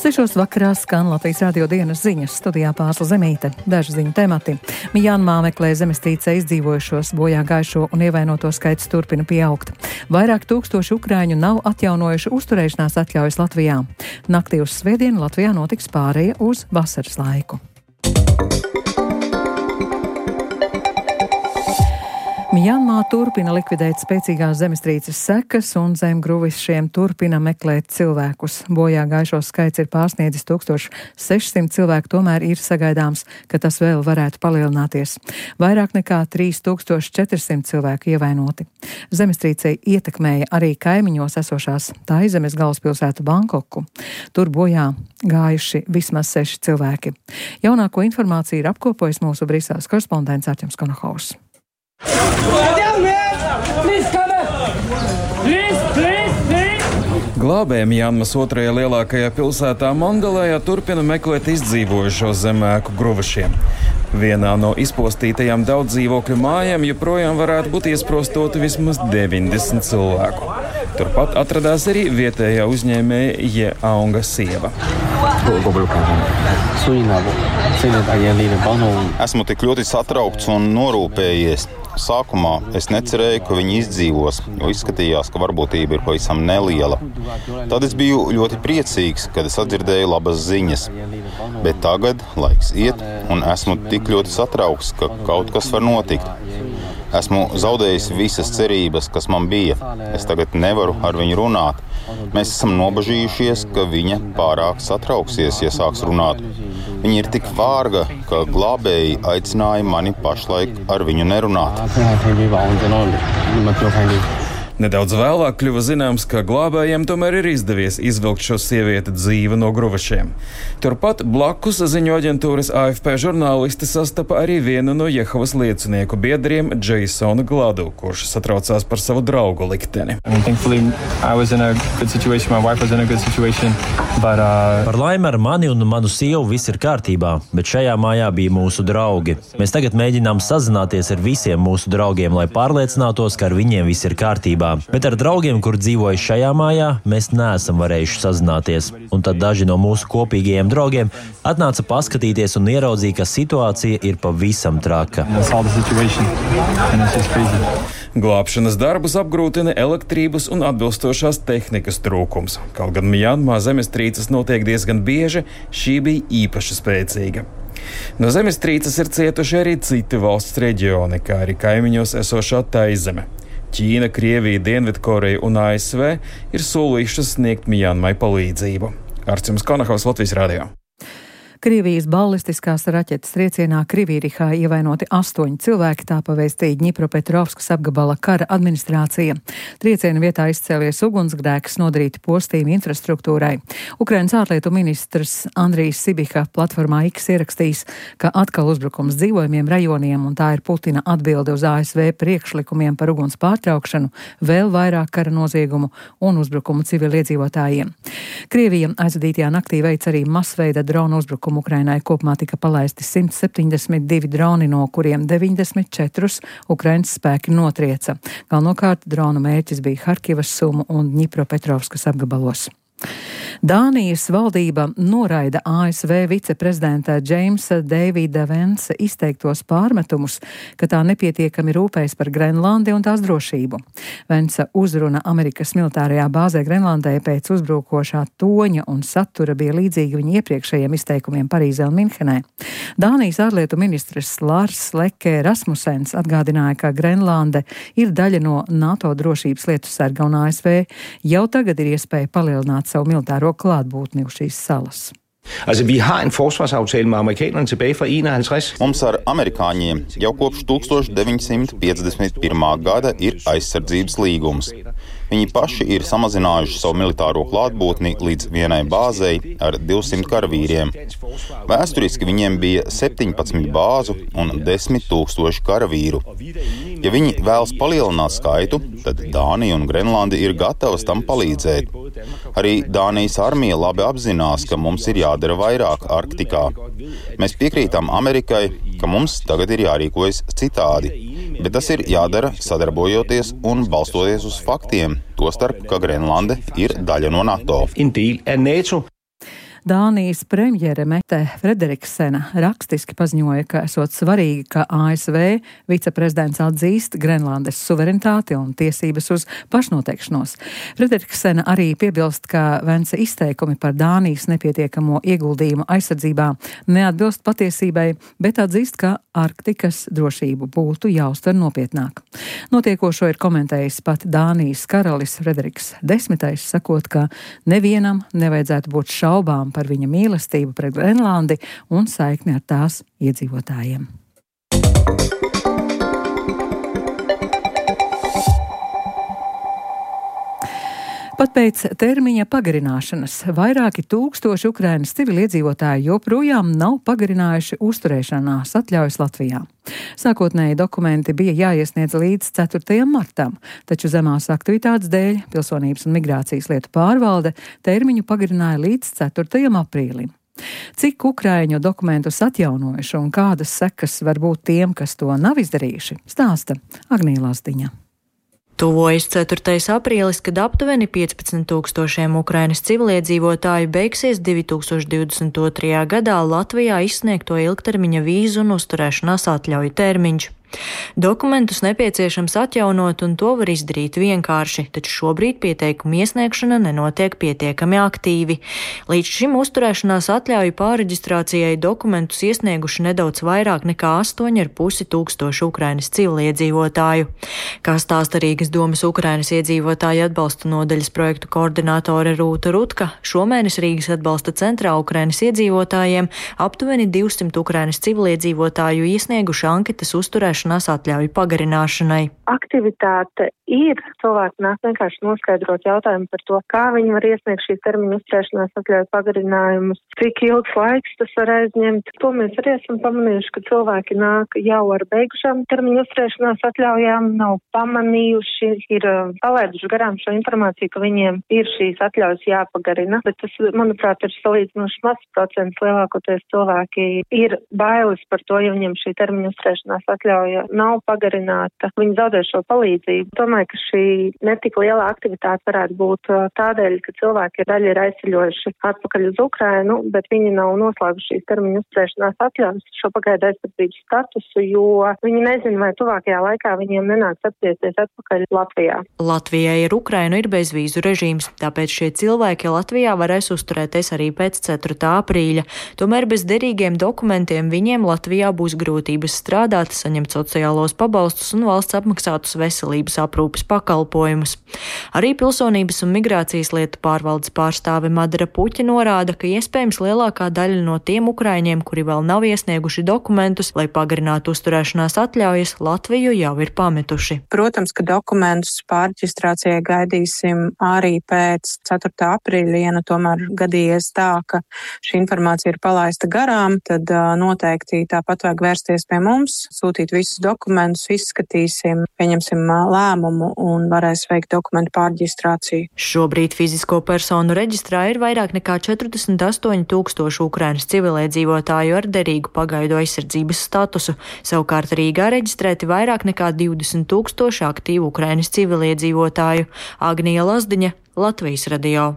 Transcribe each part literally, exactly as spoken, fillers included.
Sešos vakarā skan Latvijas radio dienas ziņas, studijā Pārsla Zemīte. Daži ziņu temati. Mjanmā meklē zemestrīcē izdzīvojušos, bojā gājušo un ievainoto skaits turpina pieaugt. Vairāk tūkstoši ukraiņu nav atjaunojuši uzturēšanās atļaujas Latvijā. Naktī uz svētdienu Latvijā notiks pāreja uz vasaras laiku. Mjanmā turpina likvidēt spēcīgās zemestrīces sekas un zemgruvišiem turpina meklēt cilvēkus. Bojā gājušo skaits ir pārsniedzis tūkstoš sešsimt cilvēku, tomēr ir sagaidāms, ka tas vēl varētu palielināties. Vairāk nekā trīs tūkstoši četrsimt cilvēku ievainoti. Zemestrīcei ietekmēja arī kaimiņos esošās Taizemes galvaspilsētu Bankoku. Tur bojā gājuši vismaz seši cilvēki. Jaunāko informāciju ir apkopojis mūsu Briseles korespondents Artjoms Konohaus. Glābēji Mjanmas otrajā lielākajā pilsētā Mandalējā turpina meklēt izdzīvojušo zemēku gruvašiem. Vienā no izpostītajām daudz dzīvokļu mājām joprojām varētu būt iesprostoti vismaz deviņdesmit cilvēku. Turpat atradās arī vietējā uzņēmēja Jeaunga sieva. Esmu tik ļoti satraukts un norūpējies. Sākumā es necerēju, ka viņi izdzīvos, jo izskatījās, ka varbūtība ir pavisam neliela. Tad es biju ļoti priecīgs, kad es atdzirdēju labas ziņas. Bet tagad laiks iet, un esmu tik ļoti satraukts, ka kaut kas var notikt. Esmu zaudējis visas cerības, kas man bija. Es tagad nevaru ar viņu runāt. Mēs esam nobažījušies, ka viņa pārāk satrauksies, ja sāks runāt. Viņa ir tik vārga, ka glābēji aicināja mani pašlaik ar viņu nerunāt. Nedaudz vēlāk kļuva zināms, ka glābējiem tomēr ir izdevies izvilkt šo sievieti dzīvu no gruvašiem. Turpat blakus ziņu aģentūras A F P žurnālisti sastapa arī vienu no Jehovas liecinieku biedriem Jasonu Gladu, kurš satraucās par savu draugu likteni. But, uh... Par laimi ar mani un manu sievu viss ir kārtībā, bet šajā mājā bija mūsu draugi. Mēs tagad mēģinām sazināties ar visiem mūsu draugiem, lai pārliecinātos, ka ar viņiem viss ir kārtībā. Bet ar draugiem, kur dzīvoja šajā mājā, mēs neesam varējuši sazināties. Un tad daži no mūsu kopīgajiem draugiem atnāca paskatīties un ieraudzīja, ka situācija ir pavisam traka. Glābšanas darbus apgrūtina elektrības un atbilstošās tehnikas trūkums. Kaut gan Mjanmā zemestrīces notiek diezgan bieži, šī bija īpaši spēcīga. No zemestrīces ir cietuši arī citi valsts reģioni, kā arī kaimiņos esošā Taizeme. Ķīna, Krievija, Dienvidkoreja un A S V ir solījušas sniegt Mjanmai palīdzību. Artjoms Konohaus, Latvijas radio. Krievijas ballistiskās raķetes triecienā Krivīrihā ievainoti astoņi cilvēki, tā pavēstīja Dņipropetrovskas apgabala kara administrācija. Trieciena vietā izcēlies ugunsgrēks, nodarīti postījumi infrastruktūrai. Ukrainas ārlietu ministrs Andrijs Sibiha platformā X ierakstījis, ka atkal uzbrukums dzīvojumiem rajoniem, un tā ir Putina atbilde uz A S V priekšlikumiem par uguns pārtraukšanu, vēl vairāk kara noziegumu un uzbrukumu civiliedzīvotājiem. Krievija aizvadītajā naktī veic arī masveida dronu uzbrukumu. Ukrainai kopumā tika palaisti simt septiņdesmit divi droni, no kuriem deviņdesmit četrus Ukrainas spēki notrieca. Galvenokārt dronu mērķis bija Harkivas, Sumu un Dņipropetrovskas apgabalos. Dānijas valdība noraida A S V viceprezidenta Džeimsa Deivida Vensa izteiktos pārmetumus, ka tā nepietiekami rūpējas par Grenlandi un tās drošību. Vensa uzruna Amerikas militārajā bāzē Grenlandē pēc uzbrukošā toņa un satura bija līdzīga viņa iepriekšējiem izteikumiem Parīzē un Minhenē. Dānijas ārlietu ministrs Lars Løkke Rasmussens atgādināja, ka Grenlande ir daļa no NATO drošības lietu sarga un A S V jau tagad ir iespēja palielināt savu militāro klātbūtni uz šīs salas. Altså, vi har en forsvarsaftale med amerikanerne tilbage fra enoghalvtreds. Mums ar amerikāņiem jau kopš tūkstoš deviņi simti piecdesmit pirmā gada ir aizsardzības līgums. Viņi paši ir samazinājuši savu militāro klātbūtni līdz vienai bāzei ar divsimt karavīriem. Vēsturiski viņiem bija septiņpadsmit bāzu un desmit tūkstoši karavīru. Ja viņi vēlas palielināt skaitu, tad Dānija un Grenlandi ir gatavas tam palīdzēt. Arī Dānijas armija labi apzinās, ka mums ir jādara vairāk Arktikā. Mēs piekrītam Amerikai, ka mums tagad ir jārīkojas citādi, bet tas ir jādara sadarbojoties un balstoties uz faktiem, tostarp, ka Grenlande ir daļa no NATO. Dānijas premjere Mette Frederiksena rakstiski paziņoja, ka esot svarīgi, ka A S V viceprezidents atzīst Grenlandes suverenitāti un tiesības uz pašnoteikšanos. Frederiksena arī piebilst, ka Vence izteikumi par Dānijas nepietiekamo ieguldījumu aizsardzībā neatbilst patiesībai, bet atzīst, ka Arktikas drošību būtu jāuztver nopietnāk. Notiekošo ir komentējis pat Dānijas karalis Frederiks Desmitais, sakot, ka nevienam nevajadzētu būt šaubām par viņa mīlestību pret Grenlandi un saikni ar tās iedzīvotājiem. Pat pēc termiņa pagarināšanas vairāki tūkstoši Ukrainas civiliedzīvotāji joprojām nav pagarinājuši uzturēšanās atļaujas Latvijā. Sākotnēji dokumenti bija jāiesniedz līdz ceturtajam martam, taču zemās aktivitātes dēļ Pilsonības un migrācijas lietu pārvalde termiņu pagarināja līdz ceturtajam aprīlim. Cik ukraiņu dokumentus atjaunojuši un kādas sekas var būt tiem, kas to nav izdarījuši, stāsta Agnija Lazdiņa. Tuvojas ceturtais aprīlis, kad aptuveni piecpadsmit tūkstošiem Ukrainas civiliedzīvotāju beigsies divi tūkstoši divdesmit otrajā gadā Latvijā izsniegto ilgtermiņa vīzu un uzturēšanās atļauju termiņš. Dokumentus nepieciešams atjaunot, un to var izdarīt vienkārši, taču šobrīd pieteikumu iesniegšana nenotiek pietiekami aktīvi. Līdz šim uzturēšanās atļauju pārreģistrācijai dokumentus iesnieguši nedaudz vairāk nekā astoņi ar pusi tūkstoši Ukrainas civiliedzīvotāju. Kā stāsta Rīgas domas Ukrainas iedzīvotāju atbalsta nodaļas projektu koordinātore Rūta Rutka, šomēnes Rīgas atbalsta centrā Ukrainas iedzīvotājiem aptuveni divsimt Ukrainas civiliedzīvotāju iesnieguši anketas uzturēšanās atļauju pagarināšanai. Aktivitāte ir, cilvēki nāk vienkārši noskaidrot jautājumu par to, kā viņi var iesniegt šīs termiņu uzturēšanās atļauju pagarinājumus, cik ilgs laiks tas var aizņemt. To mēs arī esam pamanījuši, ka cilvēki nāk jau ar beigušām termiņu uzturēšanās atļaujām, nav pamanījuši, ir palaiduši garām šo informāciju, ka viņiem ir šīs atļaujas jāpagarina, bet tas, manuprāt, ir salīdzinoši mazs procents. Lielākoties cilvēki ir bailes par to, ja viņiem šī termiņu uzturēšanās atļauja nav pagarināta, viņi zaudē šo palīdzību. Domāju, ka šī netik liela aktivitāte varētu būt tādēļ, ka cilvēki daļa ir aizceļojuši atpakaļ uz Ukrainu, bet viņi nav noslēguši šīs termiņu uzturēšanās atļaujas, šo pagaidu aizsardzības statusu, jo viņi nezina, vai tuvākajā laikā viņiem nenāks atgriezties atpakaļ Latvijā. Latvijai ar Ukrainu ir bezvīzu režīms, tāpēc šie cilvēki Latvijā varēs uzturēties arī pēc ceturtā aprīļa. Tomēr bez derīgiem dokumentiem viņiem Latvijā būs grūtības strādāt, saņemt sociālos pabalstus un valsts apmaksātus veselības aprūpes pakalpojumus. Arī Pilsonības un migrācijas lietu pārvaldes pārstāve Madara Puķa norāda, ka iespējams lielākā daļa no tiem ukraiņiem, kuri vēl nav iesnieguši dokumentus, lai pagarinātu uzturēšanās atļaujas, Latviju jau ir pametuši. Protams, ka dokumentus pārreģistrācijai gaidīsim arī pēc ceturtā aprīļa, ja nu tomēr gadījies tā, ka šī informācija ir palaista garām, tad noteikti tāpat vajag vērsties pie mums, sūtīt visus dokumentus, izskatīsim, pieņemsim lēmumu un varēs veikt dokumentu pārreģistrāciju. Šobrīd fizisko personu reģistrā ir vairāk nekā četrdesmit astoņi tūkstoši Ukrainas civiliedzīvotāju ar derīgu pagaidu aizsardzības statusu. Savukārt Rīgā reģistrēti vairāk nekā divdesmit tūkstoši aktīvu Ukrainas civiliedzīvotāju. Agnija Lazdiņa, Latvijas radio.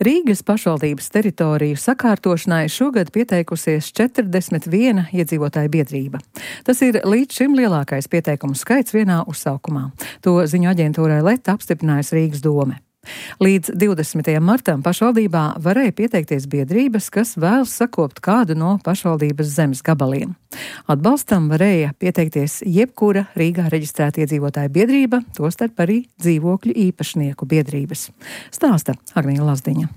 Rīgas pašvaldības teritoriju sakārtošanai šogad pieteikusies četrdesmit viena iedzīvotāja biedrība. Tas ir līdz šim lielākais pieteikumu skaits vienā uzsaukumā. To ziņu aģentūrai Leta apstiprinājusi Rīgas dome. Līdz divdesmitajam martam pašvaldībā varēja pieteikties biedrības, kas vēlas sakopt kādu no pašvaldības zemes gabaliem. Atbalstam varēja pieteikties jebkura Rīgā reģistrēta iedzīvotāja biedrība, tostarp arī dzīvokļu īpašnieku biedrības. Stāsta Agnija Lazdiņa.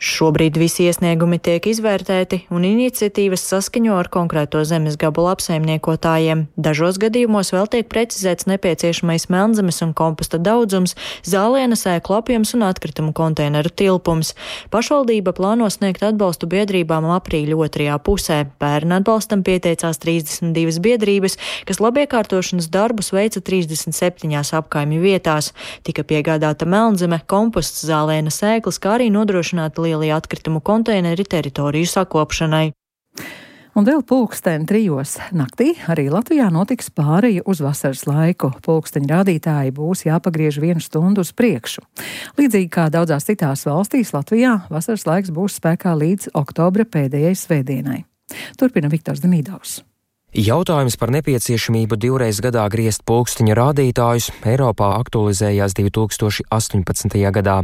Šobrīd visi iesniegumi tiek izvērtēti un iniciatīvas saskaņo ar konkrēto zemes gabalu apsaimniekotājiem. Dažos gadījumos vēl tiek precizēts nepieciešamais melnzemes un komposta daudzums, zāliena sēklu apjoms un atkritumu konteineru tilpums. Pašvaldība plāno sniegt atbalstu biedrībām aprīļa otrajā pusē. Pērn atbalstam pieteicās trīsdesmit divas biedrības, kas labiekārtošanas darbus veica trīsdesmit septiņās apkaimju vietās. Tika piegādāta melnzeme, komposts, zāliena sēklas, kā arī nodrošināta lielie atkritumu konteineri teritoriju sakopšanai. Un vēl pulksteni trijos naktī arī Latvijā notiks pāreja uz vasaras laiku. Pulksteņu rādītāji būs jāpagriež vienu stundu uz priekšu. Līdzīgi kā daudzās citās valstīs, Latvijā vasaras laiks būs spēkā līdz oktobra pēdējai svētdienai. Turpina Viktors Demīdovs. Jautājums par nepieciešamību divreiz gadā griezt pulksteņa rādītājus Eiropā aktualizējās divi tūkstoši astoņpadsmitajā gadā.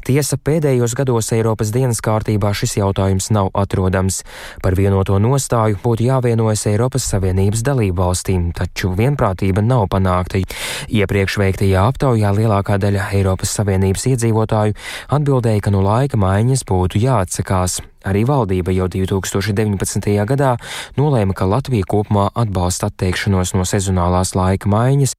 Tiesa, pēdējos gados Eiropas dienas kārtībā šis jautājums nav atrodams. Par vienoto nostāju būtu jāvienojas Eiropas Savienības dalību valstīm, taču vienprātība nav panākta. Iepriekš veiktajā aptaujā lielākā daļa Eiropas Savienības iedzīvotāju atbildēja, ka no laika maiņas būtu jāatsakās. Arī valdība jau divi tūkstoši deviņpadsmitajā gadā nolēma, ka Latvija kopumā atbalsta atteikšanos no sezonālās laika maiņas.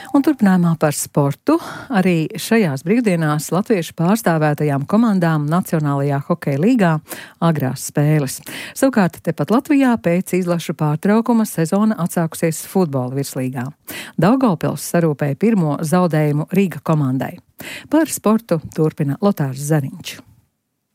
Un turpinājumā par sportu. Arī šajās brīvdienās latviešu pārstāvētajām komandām Nacionālajā hokeja līgā agrās spēles. Savukārt tepat Latvijā pēc izlašu pārtraukuma sezona atsākusies futbola virslīgā. Daugavpils sarūpēja pirmo zaudējumu Rīga komandai. Par sportu turpina Lotārs Zariņš.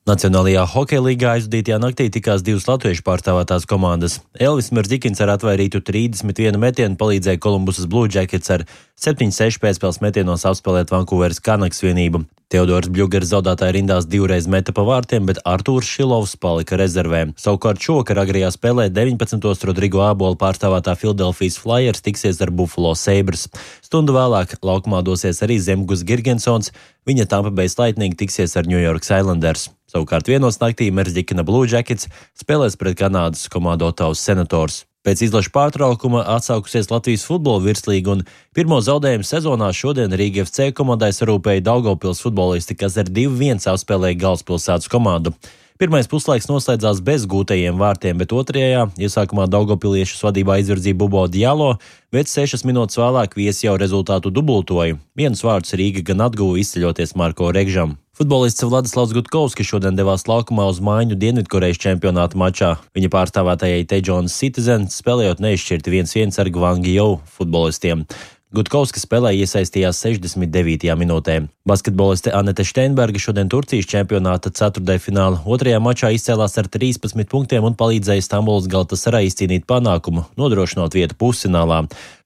Nacionālajā hokeja līgā aizvadītajā naktī tikās divas latviešu pārstāvētās komandas. Elvis Mirzikins ar atvairītu trīsdesmit vienu metienu palīdzēja Kolumbusas Blue Jackets ar septiņi seši pēcspēles metienos apspēlēt Vankūveras Canucks vienību. Teodors Bļugers zaudētāja rindās divreiz meta pa vārtiem, bet Artūrs Šilovs palika rezervē. Savukārt šovakar agrajā spēlē deviņpadsmitos Rodrigo Ābola pārstāvētā Philadelphijas Flyers tiksies ar Buffalo Sabres. Stundu vēlāk laukumā dosies arī Zemgus Girgensons, viņa Tampa Bay Lightning tiksies ar New York Islanders. Savukārt vienos naktī Merzikina Blue Jackets spēlēs pret Kanādas komandu Ottawas Senators. Pēc izlašu pārtraukuma atsākusies Latvijas futbola virslīga un pirmo zaudējumu sezonā šodien Rīga F C komandai sarūpēja Daugavpils futbolisti, kas ar divi viens apspēlēja Galvaspilsētas komandu. Pirmais puslaiks noslēdzās bez gūtajiem vārtiem, bet otrajā iesākumā Daugavpiliešus vadībā izvirzīja Bubo Dialo, bet sešas minūtes vēlāk viesi jau rezultātu dubultoja. Vienus vārdus Rīga gan atguva izceļoties Marko Regžam. Futbolists Vladislavs Gutkovskis šodien devās laukumā uz maiņu Dienvidkorejas čempionāta mačā. Viņa pārstāvētājai Tejonas Citizen spēlējot neizšķirti viens viens ar Gvangijou futbolistiem. Gutkovskis spēlē iesaistījās sešdesmit devītajā minūtē. Basketboliste Anete Steinberga šodien Turcijas čempionāta ceturtdaļfināla otrajā mačā izcēlās ar trīspadsmit punktiem un palīdzēja Stambulas Galatasaray izcīnīt panākumu, nodrošinot vietu pusfinālā.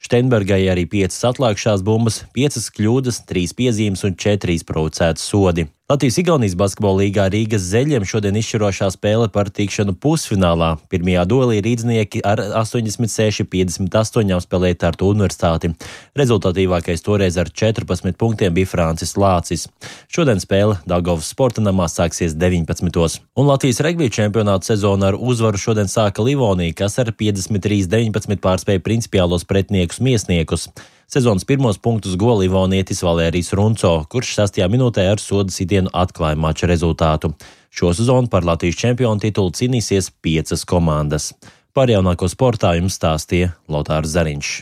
Steinbergai arī piecas atlākšās bumbas, piecas kļūdas, trīs piezīmes un četri izprovocēti sodi. Latvijas-Igaunijas basketbola līgā Rīgas Zeļiem šodien izšķirošā spēle par tikšanu pusfinālā. Pirmajā duelī rīdznieki ar astoņdesmit seši piecdesmit astoņi apspēlēja Tartu Universitāti. Rezultatīvākais toreiz ar četrpadsmit punktiem bija Francis Lācis. Šodien spēle Daugavas sporta namā sāksies deviņpadsmitos. Un Latvijas regbija čempionāta sezona ar uzvaru šodien sāka Livonija, kas ar piecdesmit trīs deviņpadsmit pārspēja principiālos pretniekus Miesniekus. Sezonas pirmos punktus guva livonietis Valērijs Runco, kurš sastajā minūtē ar soda sitienu atklāja mača rezultātu. Šo sezonu par Latvijas čempionu titulu cīnīsies piecas komandas. Par jaunāko sportā jums stāstīja Lotārs Zariņš.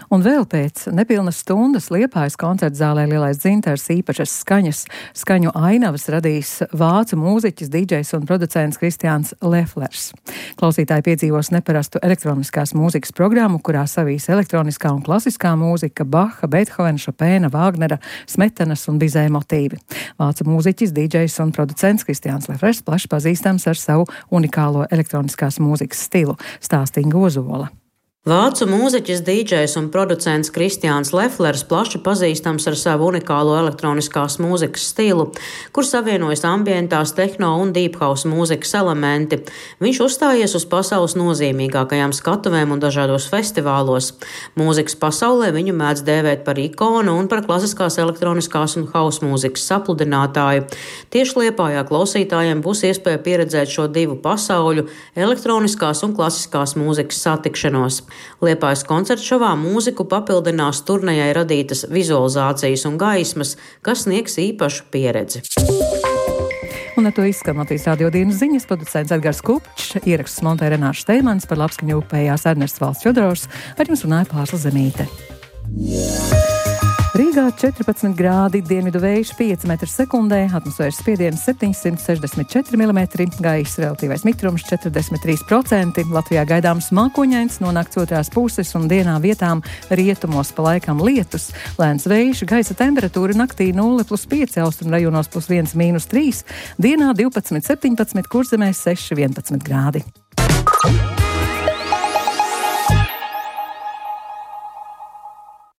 Un vēl pēc nepilnas stundas Liepājas koncerta zālē Lielais dzintars īpašas skaņas, skaņu ainavas radīs vācu mūziķis, dīdžejs un producents Kristiāns Leflers. Klausītāji piedzīvos neparastu elektroniskās mūzikas programmu, kurā savīs elektroniskā un klasiskā mūzika, Baha, Beethovena, Šopēna, Vāgnera, Smetanas un Bizē motīvi. Vācu mūziķis, dīdžejs un producents Kristiāns Leflers plaši pazīstams ar savu unikālo elektroniskās mūzikas stilu, stāsta Inga Ozola. Vācu mūziķis, dīdžejs un producents Kristiāns Leflers plaši pazīstams ar savu unikālo elektroniskās mūzikas stilu, kur savienojas ambientās, tehno un deep house mūzikas elementi. Viņš uzstājies uz pasaules nozīmīgākajām skatuvēm un dažādos festivālos. Mūzikas pasaulē viņu mēdz dēvēt par ikonu un par klasiskās elektroniskās un house mūzikas sapludinātāju. Tieši Liepājā klausītājiem būs iespēja pieredzēt šo divu pasauļu elektroniskās un klasiskās mūzikas satikšanos. Liepājas koncerta šovā mūziku papildinās turnejai radītas vizualizācijas un gaismas, kas sniegs īpašu pieredzi. Un ar to izskan Latvijas radio dienas ziņas, producents Edgars Kupčs, ieraksts montē Renārs Steimans, par labskaņu upējās Ernests Valsts Čodorovs, ar jums runāja Pārsla Zemīte. Rīgā četrpadsmit grādi, dienvidu vējš pieci metri sekundē, atmosfēras spiediens septiņsimt sešdesmit četri milimetri, gaisa relatīvais mitrums četrdesmit trīs procenti. Latvijā gaidāms mākoņains, no nakts otrās puses un dienā vietām rietumos pa laikam lietus. Lēns vējš, gaisa temperatūra naktī nulle plus pieci, austrumu rajonos plus viens mīnus trīs, dienā divpadsmit septiņpadsmit, Kurzemē seši vienpadsmit grādi.